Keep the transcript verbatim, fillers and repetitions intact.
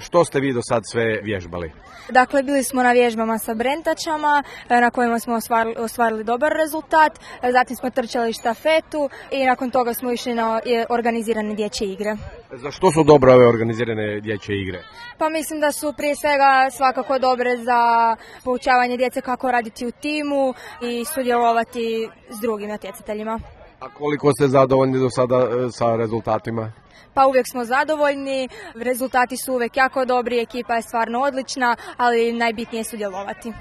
Što ste vi do sad sve vježbali? Dakle, bili smo na vježbama sa brentačama na kojima smo ostvarili, ostvarili dobar rezultat, zatim smo trčali štafetu i nakon toga smo išli na organizirane dječje igre. Za što su dobre ove organizirane dječje igre? Pa mislim da su prije svega svakako dobre za poučavanje djece kako raditi u timu i sudjelovati s drugim natjecateljima. A koliko ste zadovoljni do sada sa rezultatima? Pa uvijek smo zadovoljni, rezultati su uvijek jako dobri, ekipa je stvarno odlična, ali najbitnije je sudjelovati.